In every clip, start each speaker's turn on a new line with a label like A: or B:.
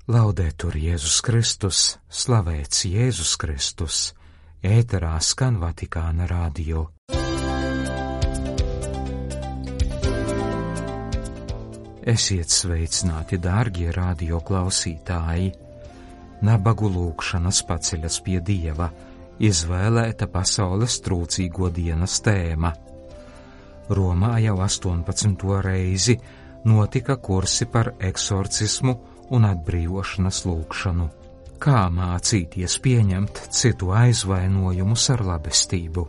A: Laudetur Jēzus Kristus, slavēts Jēzus Kristus, ēterā skan Vatikāna radio. Esiet sveicināti, dārgie radio klausītāji! Nabagu lūgšanas paceļas pie Dieva, izvēlēta pasaules trūcīgo dienas tēma. Romā jau 18. reizi notika kursi par eksorcismu un atbrīvošanas lūgšanu. Kā mācīties pieņemt citu aizvainojumus ar labestību?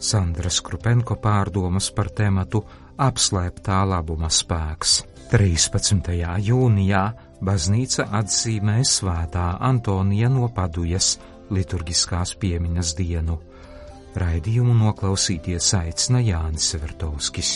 A: Sandra Skrupenko pārdomas par tematu apslēptā labuma spēks. 13. jūnijā baznīca atzīmē svētā Antonija no Padujas liturgiskās piemiņas dienu. Raidījumu noklausīties aicina Jānis Vertovskis.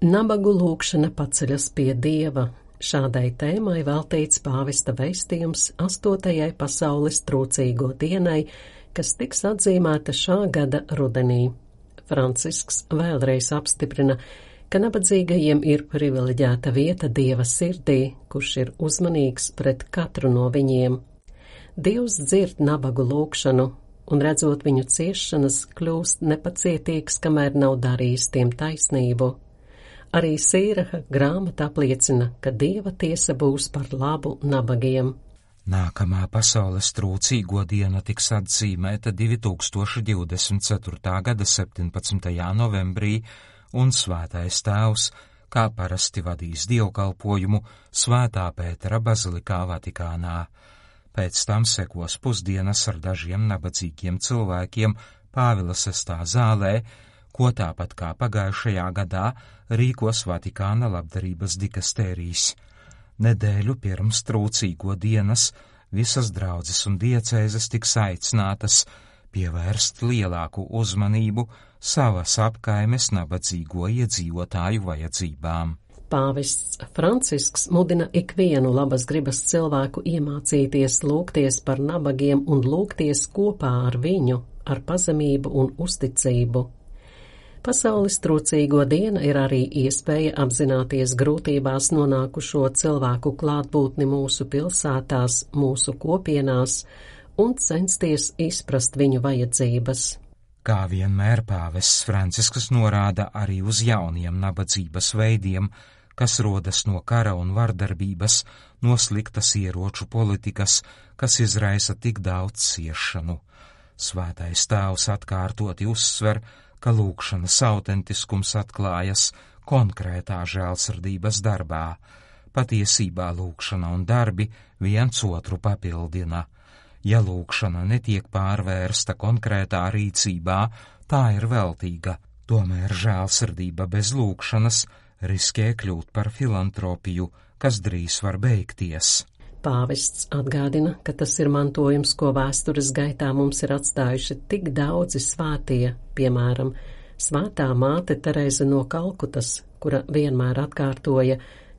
B: Nabagu lūgšana paceļas pie Dieva. Šādai tēmai veltīts pāvesta vēstījums 8. pasaules trūcīgo dienai, kas tiks atzīmēta šā gada rudenī. Francisks vēlreiz apstiprina, ka nabadzīgajiem ir privileģēta vieta Dieva sirdī, kurš ir uzmanīgs pret katru no viņiem. Dievs dzird nabagu lūgšanu, un redzot viņu ciešanas, kļūst nepacietīgs, kamēr nav darījis tiem taisnību. Arī Sīraha grāmata apliecina, ka Dieva tiesa būs par labu nabagiem.
A: Nākamā pasaules trūcīgo diena tiks atzīmēta 2024. gada 17. novembrī, un Svētais Tēvs, kā parasti vadīs dievkalpojumu Svētā Pētera bazilikā Vatikānā. Pēc tam sekos pusdienas ar dažiem nabadzīgiem cilvēkiem Pāvila VI zālē, ko tāpat kā pagājušajā gadā rīkos Vatikāna labdarības dikastērijas. Nedēļu pirms trūcīgo dienas visas draudzes un diecēzes tiks aicinātas pievērst lielāku uzmanību savas apkaimes nabadzīgo iedzīvotāju vajadzībām.
B: Pāvests Francisks mudina ikvienu labas gribas cilvēku iemācīties lūgties par nabagiem un lūgties kopā ar viņu, ar pazemību un uzticību. Pasaules trūcīgo diena ir arī iespēja apzināties grūtībās nonākušo cilvēku klātbūtni mūsu pilsētās, mūsu kopienās un censties izprast viņu vajadzības.
A: Kā vienmēr pāvests Francisks norāda arī uz jauniem nabadzības veidiem, kas rodas no kara un vardarbības, no sliktas ieroču politikas, kas izraisa tik daudz ciešanu. Svētais Tēvs atkārtoti uzsver, ka lūgšanas autentiskums atklājas konkrētā žēlsirdības darbā. Patiesībā lūgšana un darbi viens otru papildina. Ja lūgšana netiek pārvērsta konkrētā rīcībā, tā ir veltīga. Tomēr žēlsirdība bez lūgšanas riskē kļūt par filantropiju, kas drīz var beigties.
B: Pāvests atgādina, ka tas ir mantojums, ko vēstures gaitā mums ir atstājuši tik daudzi svētie, piemēram, Svētā māte Terēze no Kalkutas, kura vienmēr atkārtoja,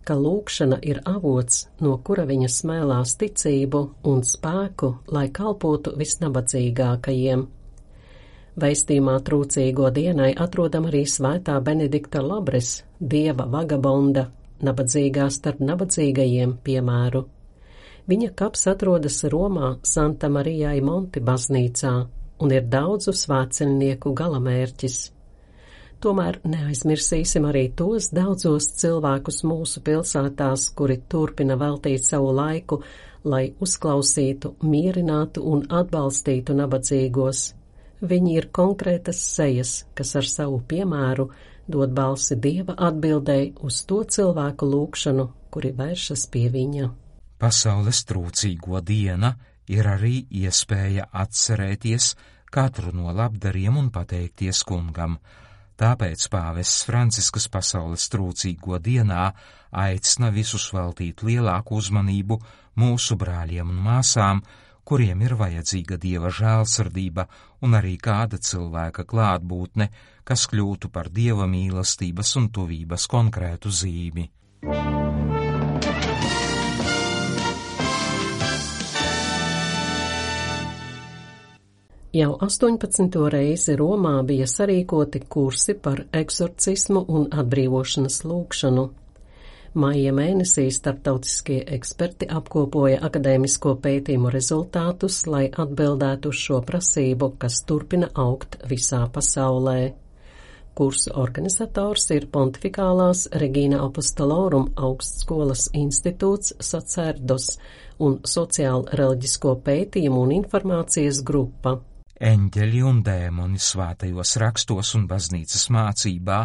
B: ka lūgšana ir avots, no kura viņa smēlās ticību un spēku, lai kalpotu visnabadzīgākajiem. Vēstījumā trūcīgo dienai atrodam arī Svētā Benedikta Labres, Dieva vagabonda, nabadzīgā starp nabadzīgajiem piemēru. Viņa kaps atrodas Romā Santa Marijai Monti baznīcā un ir daudzu svētceļnieku galamērķis. Tomēr neaizmirsīsim arī tos daudzos cilvēkus mūsu pilsētās, kuri turpina veltīt savu laiku, lai uzklausītu, mierinātu un atbalstītu nabadzīgos. Viņi ir konkrētas sejas, kas ar savu piemēru dod balsi Dieva atbildēji uz to cilvēku lūgšanu, kuri vēršas pie viņa.
A: Pasaules trūcīgo diena ir arī iespēja atcerēties katru no labdariem un pateikties kungam. Tāpēc pāvests Francisks pasaules trūcīgo dienā aicina visus veltīt lielāku uzmanību mūsu brāļiem un māsām, kuriem ir vajadzīga Dieva žēlsirdība un arī kāda cilvēka klātbūtne, kas kļūtu par Dieva mīlestības un tuvības konkrētu zīmi.
B: Jau 18. reizi Romā bija sarīkoti kursi par eksorcismu un atbrīvošanas lūgšanu. Maija mēnesī starptautiskie eksperti apkopoja akadēmisko pētījumu rezultātus, lai atbildētu uz šo prasību, kas turpina augt visā pasaulē. Kursu organizators ir Pontifikālās Regina Apostolorum augstskolas institūts Sacerdos un sociāla-reliģisko pētījumu un informācijas grupa.
A: Eņģeļi un dēmoni svētajos rakstos un baznīcas mācībā,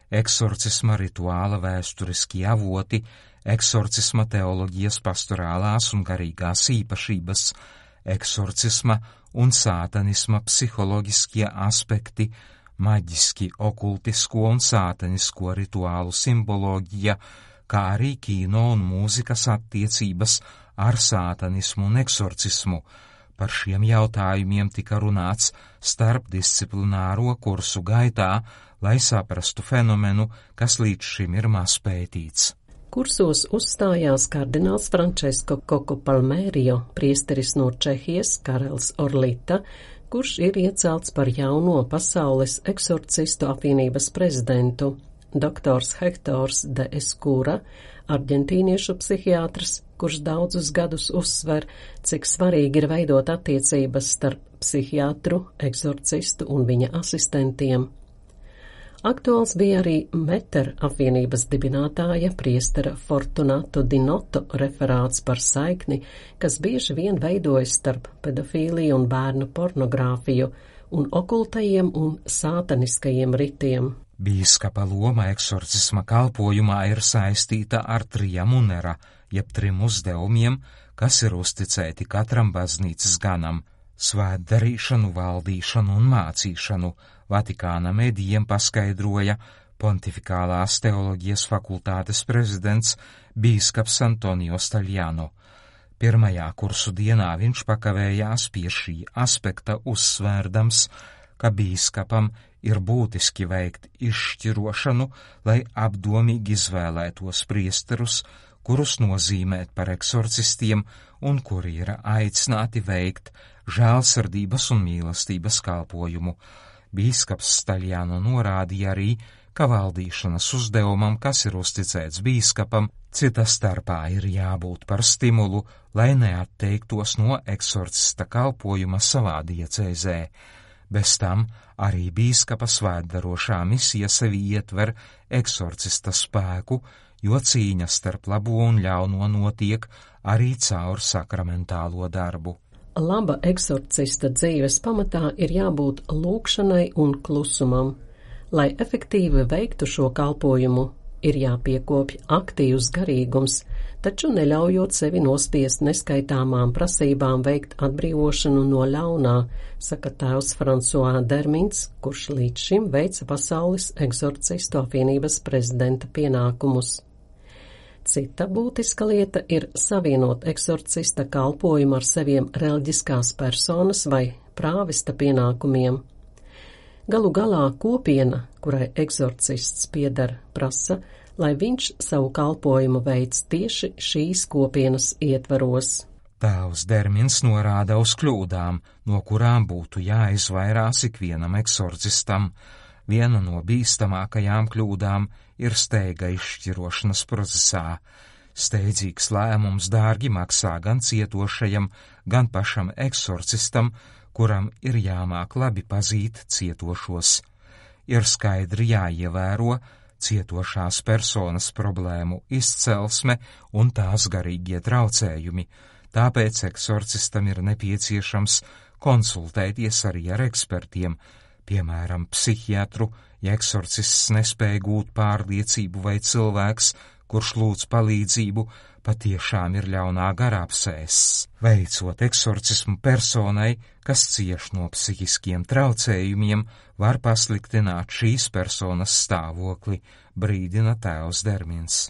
A: eksorcisma rituāla vēsturiskie avoti, eksorcisma teoloģijas pastorālās un garīgās īpašības, eksorcisma un sātanisma psiholoģiskie aspekti, maģiski okultisko un sātanisko rituālu simboloģija, kā arī kino un mūzikas attiecības ar sātanismu un eksorcismu. Par šiem jautājumiem tika runāts starpdisciplināro kursu gaitā, lai saprastu fenomenu, kas līdz šim ir maz pētīts.
B: Kursos uzstājās kardināls Francesco Coco Palmerio, priesteris no Čehijas Karels Orlita, kurš ir iecelts par jauno pasaules eksorcistu apvienības prezidentu, doktors Hektors de Escura, arģentīniešu psihiatrs, kurš daudzus gadus uzsver, cik svarīgi ir veidot attiecības starp psihiatru, eksorcistu un viņa asistentiem. Aktuāls bija arī Meter apvienības dibinātāja priestera Fortunato Dinoto referāts par saikni, kas bieži vien veidojas starp pedofīliju un bērnu pornogrāfiju un okultajiem un sātaniskajiem ritiem.
A: Bīskapa loma eksorcisma kalpojumā ir saistīta ar triamunera, jeb trim uzdevumiem, kas ir uzticēti katram baznīcas ganam - svētdarīšanu, valdīšanu un mācīšanu, Vatikāna medijiem paskaidroja Pontifikālās teoloģijas fakultātes prezidents bīskaps Antonio Staļjano. Pirmajā kursu dienā viņš pakavējās pie šī aspekta, uzsvērdams, ka bīskapam ir būtiski veikt izšķirošanu, lai apdomīgi izvēlētos priesterus, kurus nozīmēt par eksorcistiem un kuri ir aicināti veikt žēlsirdības un mīlestības kalpojumu. Bīskaps Staļjano norādīja arī, ka valdīšanas uzdevumam, kas ir uzticēts bīskapam, cita starpā ir jābūt par stimulu, lai neatteiktos no eksorcista kalpojuma savā diecēzē. Bez tam arī bīskapa svētdarošā misija sevi ietver eksorcista spēku, jo cīņa starp labo un ļauno notiek arī caur sakramentālo darbu.
B: Laba eksorcista dzīves pamatā ir jābūt lūgšanai un klusumam. Lai efektīvi veiktu šo kalpojumu, ir jāpiekopj aktīvs garīgums, taču neļaujot sevi nospiest neskaitāmām prasībām veikt atbrīvošanu no ļaunā, saka tēvs François Dermins, kurš līdz šim veica pasaules eksorcistu apvienības prezidenta pienākumus. Cita būtiska lieta ir savienot eksorcista kalpojumu ar saviem reliģiskās personas vai prāvesta pienākumiem. Galu galā kopiena, kurai eksorcists pieder, prasa, lai viņš savu kalpojumu veic tieši šīs kopienas ietvaros.
A: Tēvs Dermins norāda uz kļūdām, no kurām būtu jāizvairās ikvienam eksorcistam. Viena no bīstamākajām kļūdām ir steiga izšķirošanas procesā. Steidzīgs lēmums dārgi maksā gan cietošajam, gan pašam eksorcistam, kuram ir jāmāk labi pazīt cietošos. Ir skaidri jāievēro cietošās personas problēmu izcelsme un tās garīgie traucējumi, tāpēc eksorcistam ir nepieciešams konsultēties arī ar ekspertiem, piemēram, psihiatru, ja eksorcists nespēja gūt pārliecību vai cilvēks, kurš lūdz palīdzību, patiešām ir ļaunā garā apsēsts. Veicot eksorcismu personai, kas cieš no psihiskiem traucējumiem, var pasliktināt šīs personas stāvokli, brīdina tēvs Dermins.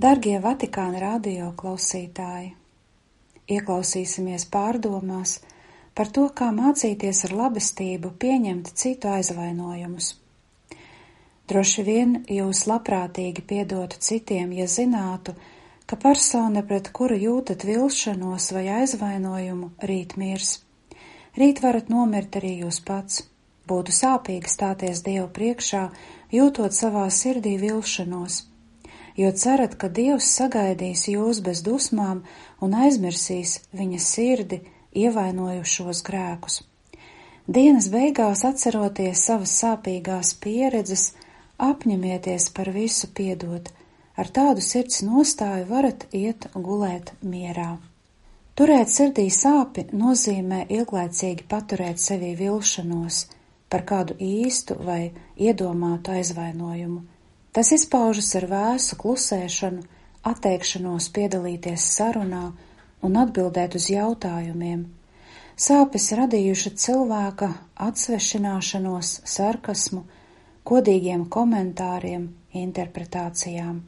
C: Dargie Vatikāna radio klausītāji! ieklausīsimies pārdomās par to, kā mācīties ar labestību pieņemt citu aizvainojumus. Droši vien jūs labprātīgi piedotu citiem, ja zinātu, ka persona, pret kuru jūtat vilšanos vai aizvainojumu, rīt mirs. Rīt varat nomirt arī jūs pats. Būtu sāpīgi stāties Dievu priekšā, jūtot savā sirdī vilšanos, jo cerat, ka Dievs sagaidīs jūs bez dusmām un aizmirsīs viņa sirdi ievainojušos grēkus. Dienas beigās, atceroties savas sāpīgās pieredzes, apņemieties par visu piedot. Ar tādu sirds nostāju varat iet gulēt mierā. Turēt sirdī sāpi nozīmē ilglaicīgi paturēt sevī vilšanos par kādu īstu vai iedomātu aizvainojumu. Tas izpaužas ar vēsu klusēšanu, atteikšanos piedalīties sarunā un atbildēt uz jautājumiem. Sāpes radījuši cilvēka atsvešināšanos, sarkasmu, kodīgiem komentāriem, interpretācijām.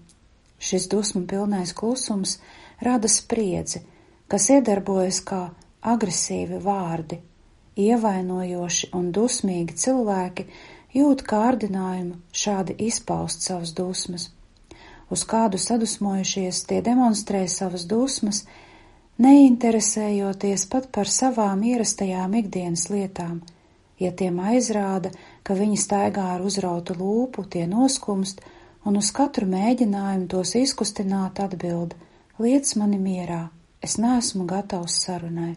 C: Šis dusmu pilnais klusums rada spriedzi, kas iedarbojas kā agresīvi vārdi. Ievainojoši un dusmīgi cilvēki jūt kārdinājumu šādi izpaust savas dusmas. Uz kādu sadusmojušies, tie demonstrē savas dusmas, neinteresējoties pat par savām ierastajām ikdienas lietām. Ja tiem aizrāda, ka viņi staigā ar uzrautu lūpu, tie noskumst, un uz katru mēģinājumu tos izkustināt atbild: liec mani mierā, es neesmu gatavs sarunai.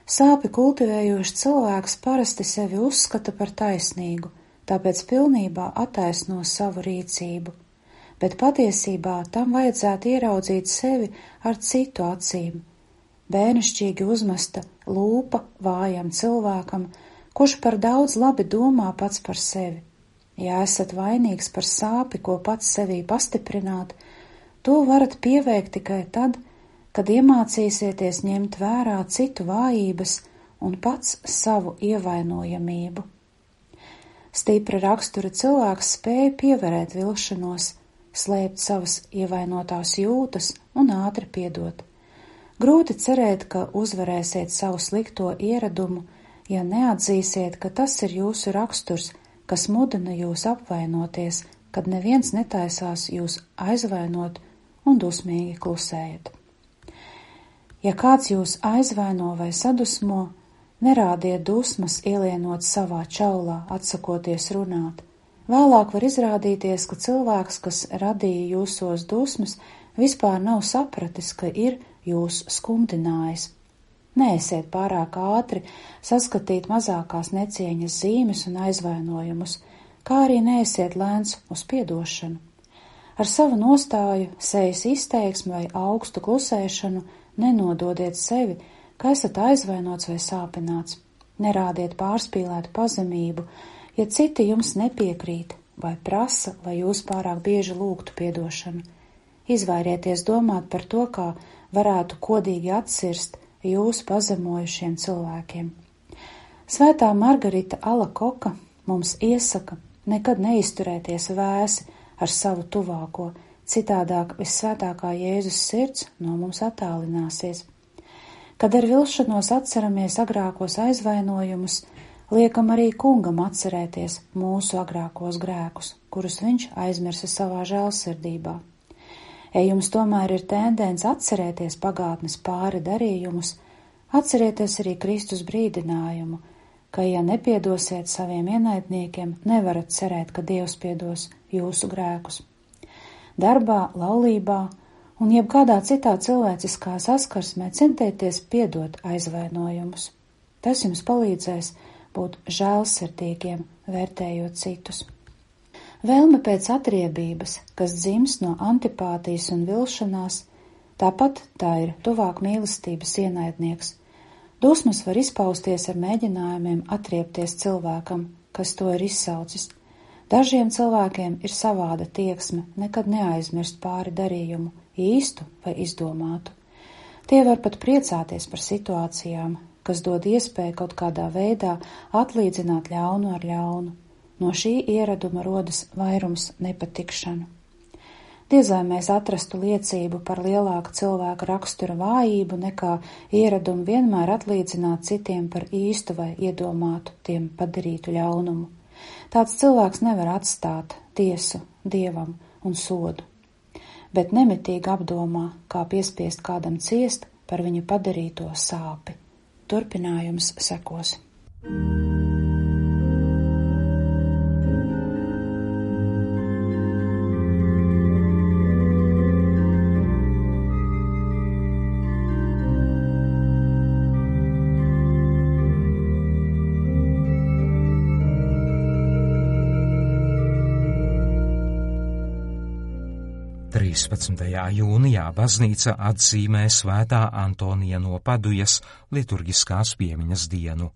C: Sāpi kultivējošs cilvēks parasti sevi uzskata par taisnīgu, tāpēc pilnībā attaisno savu rīcību, bet patiesībā tam vajadzētu ieraudzīt sevi ar citu acīm. Bērnišķīgi uzmesta lūpa vājam cilvēkam, kurš par daudz labi domā pats par sevi. Ja esat vainīgs par sāpi, ko pats sevī pastiprināt, to varat pieveikt tikai tad, kad iemācīsieties ņemt vērā citu vājības un pats savu ievainojamību. Stipra rakstura cilvēks spēja pievērēt vilšanos, slēpt savas ievainotās jūtas un ātri piedot. Grūti cerēt, ka uzvarēsiet savu slikto ieradumu, ja neatzīsiet, ka tas ir jūsu raksturs, kas mudina jūs apvainoties, kad neviens netaisās jūs aizvainot un dusmīgi klusējat. Ja kāds jūs aizvaino vai sadusmo, nerādiet dusmas ielienot savā čaulā, atsakoties runāt. Vēlāk var izrādīties, ka cilvēks, kas radīja jūsos dusmas, vispār nav sapratis, ka ir jūs skumdinājis. Neesiet pārāk ātri saskatīt mazākās necieņas zīmes un aizvainojumus, kā arī neesiet lēns uz piedošanu. Ar savu nostāju, sejas izteiksmi vai augstu klusēšanu nenododiet sevi, ka esat aizvainots vai sāpināts. Nerādiet pārspīlētu pazemību, ja citi jums nepiekrīt vai prasa, lai jūs pārāk bieži lūgtu piedošanu. Izvairieties domāt par to, kā varētu kodīgi atsirst jūsu pazemojušiem cilvēkiem. Svētā Margarita Alakoka mums iesaka nekad neizturēties vēsi ar savu tuvāko, citādāk vissvētākā Jēzus sirds no mums attālināsies. Kad ar vilšanos atceramies agrākos aizvainojumus, liekam arī kungam atcerēties mūsu agrākos grēkus, kurus viņš aizmirsa savā žēlsirdībā. Ja jums tomēr ir tendence atcerēties pagātnes pāri darījumus, atcerieties arī Kristus brīdinājumu, ka, ja nepiedosiet saviem ienaidniekiem, nevarat cerēt, ka Dievs piedos jūsu grēkus. Darbā, laulībā un jebkādā citā cilvēciskā saskarsmē centieties piedot aizvainojumus. Tas jums palīdzēs būt žēlsirdīgiem, vērtējot citus. Vēlme pēc atriebības, kas dzimst no antipātijas un vilšanās, tāpat tā ir tuvāk mīlestības ienaidnieks. Dusmas var izpausties ar mēģinājumiem atriebties cilvēkam, kas to ir izsaucis. Dažiem cilvēkiem ir savāda tieksme nekad neaizmirst pāri darījumu, īstu vai izdomātu. Tie var pat priecāties par situācijām, kas dod iespēju kaut kādā veidā atlīdzināt ļaunu ar ļaunu. No šī ieraduma rodas vairums nepatikšanu. Diez vai mēs atrastu liecību par lielāku cilvēka rakstura vājību nekā ieradumu vienmēr atlīdzināt citiem par īstu vai iedomātu tiem padarītu ļaunumu. Tāds cilvēks nevar atstāt tiesu Dievam un sodu, bet nemitīgi apdomā, kā piespiest kādam ciest par viņu padarīto sāpi. Turpinājums sekos.
A: Jūnijā baznīca atzīmē Svētā Antonija no Padujas liturgiskās piemiņas dienu,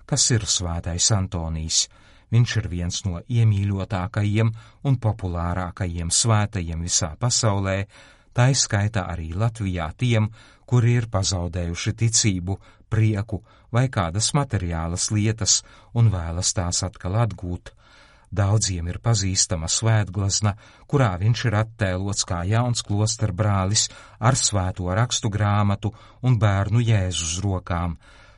A: kas ir Svētais Antonijs. Viņš ir viens no iemīļotākajiem un populārākajiem svētajiem visā pasaulē, tā izskaitā arī Latvijā tiem, kuri ir pazaudējuši ticību, prieku vai kādas materiālas lietas un vēlas tās atkal atgūt. Daudziem ir pazīstama svētglazna, kurā viņš ir attēlots kā jauns klosterbrālis ar svēto rakstu grāmatu un bērnu Jēzu uz rokām.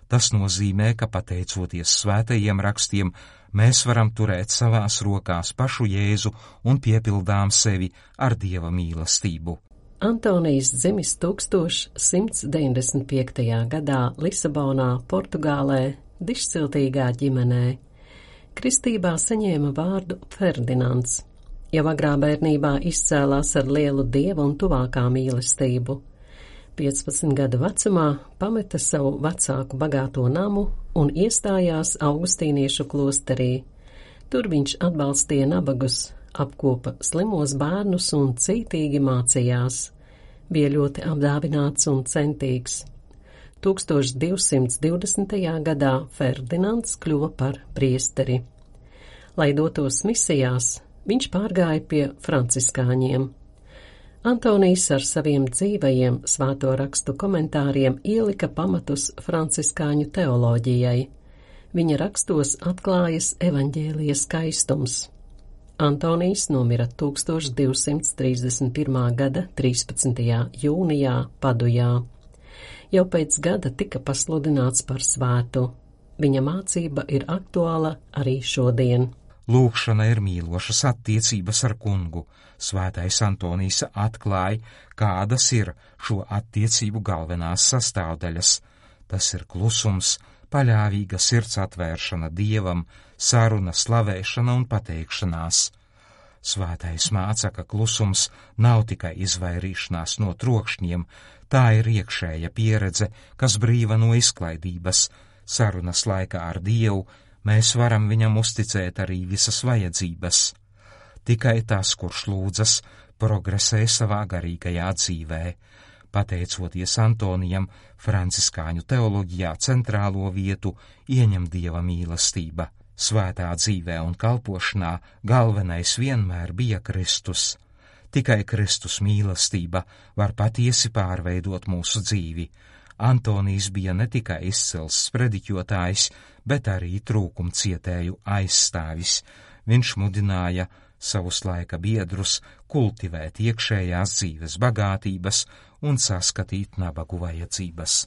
A: Tas nozīmē, ka pateicoties svētajiem rakstiem, mēs varam turēt savās rokās pašu Jēzu un piepildām sevi ar Dieva mīlestību.
B: Antonijs dzimis 1195. gadā Lisabonā, Portugālē, dišciltīgā ģimenē. Kristībā saņēma vārdu Ferdinands. Jau agrā bērnībā izcēlās ar lielu dieva un tuvākā mīlestību. 15 gadu vecumā pameta savu vecāku bagāto namu un iestājās augustīniešu klosterī. Tur viņš atbalstīja nabagus, apkopa slimos bērnus un cītīgi mācījās. Bija ļoti apdāvināts un centīgs. 1220. gadā Ferdinands kļuva par priesteri. Lai dotos misijās, viņš pārgāja pie franciskāņiem. Antonijs ar saviem dzīvajiem svēto rakstu komentāriem ielika pamatus franciskāņu teoloģijai. Viņa rakstos atklājas evaņģēlija skaistums. Antonijs nomira 1231. gada 13. jūnijā Padujā. Jau pēc gada tika pasludināts par svētu. Viņa mācība ir aktuāla arī šodien.
A: Lūkšana ir mīlošas attiecības ar kungu. Svētais Antonijs atklāja, kādas ir šo attiecību galvenās sastāvdaļas. Tas ir klusums, paļāvīga sirds atvēršana Dievam, saruna, slavēšana un pateikšanās. Svētais māca, ka klusums nav tikai izvairīšanās no trokšņiem, tā ir iekšēja pieredze, kas brīva no izklaidības. Sarunas laikā ar Dievu mēs varam viņam uzticēt arī visas vajadzības. Tikai tas, kurš lūdzas, progresē savā garīgajā dzīvē. Pateicoties Antonijam, franciskāņu teoloģijā centrālo vietu ieņem Dieva mīlestība. Svētā dzīvē un kalpošanā galvenais vienmēr bija Kristus. Tikai Kristus mīlestība var patiesi pārveidot mūsu dzīvi. Antonijs bija ne tikai izcils sprediķotājs, bet arī trūkumcietēju aizstāvis. Viņš mudināja savus laika biedrus kultivēt iekšējās dzīves bagātības un saskatīt nabagu vajadzības.